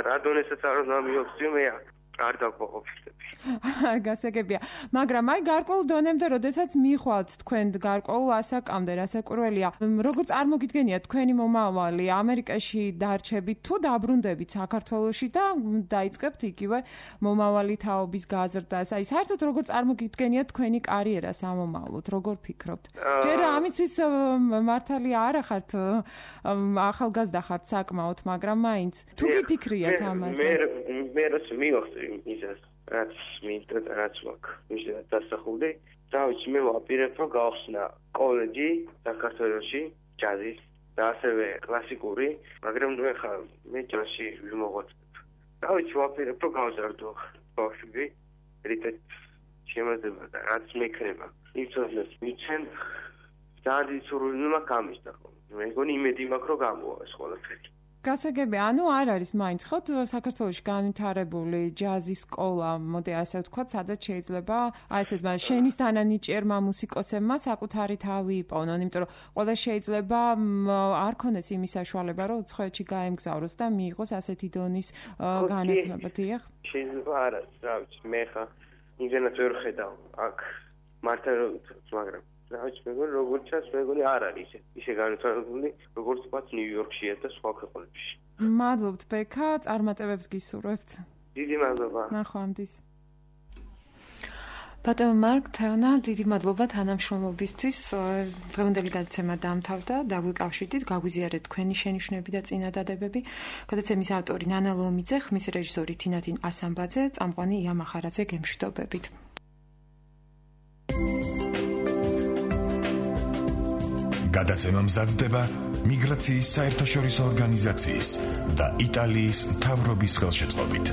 რა დონესაც არ უნდა მიაღწიო, მე არ დაკმაყოფილებ. გასაგებია, მაგრამ აი გარკვეულ დონემდე, როდესაც მიხვალთ თქვენ გარკვეულ ასაკამდე, რასაკურველია, როგორ წარმოგიდგენიათ თქვენი მომავალი ამერიკაში დარჩებით თუ დაბრუნდებით საქართველოში და დაიწყებთ იგივე მომავალი თაობის გაზრდას? აი საერთოდ როგორ წარმოგიდგენიათ თქვენი კარიერა სამომავლოდ, როგორ ფიქრობთ? ჯერ ამისთვის მართალი არა ხართ ახალგაზრდა ხართ საკმაოდ, მაგრამ მაინც თუ გიფიქრიათ ამაზე? მე მე რაც მივახცე ისეს რაც მინდა და რაც მაქვს მისდევ დასახულდი და ვიცი მე ვაპირებ რომ გავხსნა კოლეჯი საქართველოში ჯაზის და ასევე კლასიკური, მაგრამ ნუ ახლა მე ჯაზში ვიმოღვაწებ და ვიცი ვაპირებ რომ გავზარდო ბავშვი რითაც შემოძება და რაც მექნება იცოდნეს მიცენ ძალიან სურვილი მაქვს ამის და მე მგონი იმედი მაქვს რომ გამოვა ეს ყველაფერი. გასაგებია, ანუ არ არის მაინც ხო საქართველოში განვითარებული ჯაზის სკოლა, მოდი ასე ვთქვათ, სადაც შეიძლება აი ესეთ შენის თანანიჭიერმა მუსიკოსებმა საკუთარი თავი იპოვნონ, იმიტომ რომ ყველა შეიძლება არ ქონდეს იმის საშუალება, რომ უცხოეთში გაემგზავროს და მიიღოს ასეთი დონის განათლება, დიახ? შეიძლება არა, რა ვიცი, მე ხა იმენად ვერ ხედავ აქ მართლა რომ მაგრამ რაც მეგონი როგორც ჩანს მეგონი არ არის ისე ისე განვითარებული როგორც ვთქვათ ნიუ-იორკშია და სხვა ქვეყნებში. მადლობთ ბექა, წარმატებებს გისურვებთ. დიდი მადლობა. ნახვამდის. ბატონო მარკ თეონა, დიდი მადლობა თანამშრომლობისთვის. დღევანდელი გადაცემა დაამთავრდა, დაგვიკავშირდით, გაგვიზიარეთ თქვენი შენიშვნები და წინადადებები. გადაცემის ავტორი ნანა ლომიძე, ხმის რეჟისორი თინათინ ასამბაძე, წამყვანი ია მახარაძე, გემშვიდობებით. გადაცემა მზადდება მიგრაციის საერთაშორისო ორგანიზაციის და იტალიის მთავრობის ხელშეწყობით.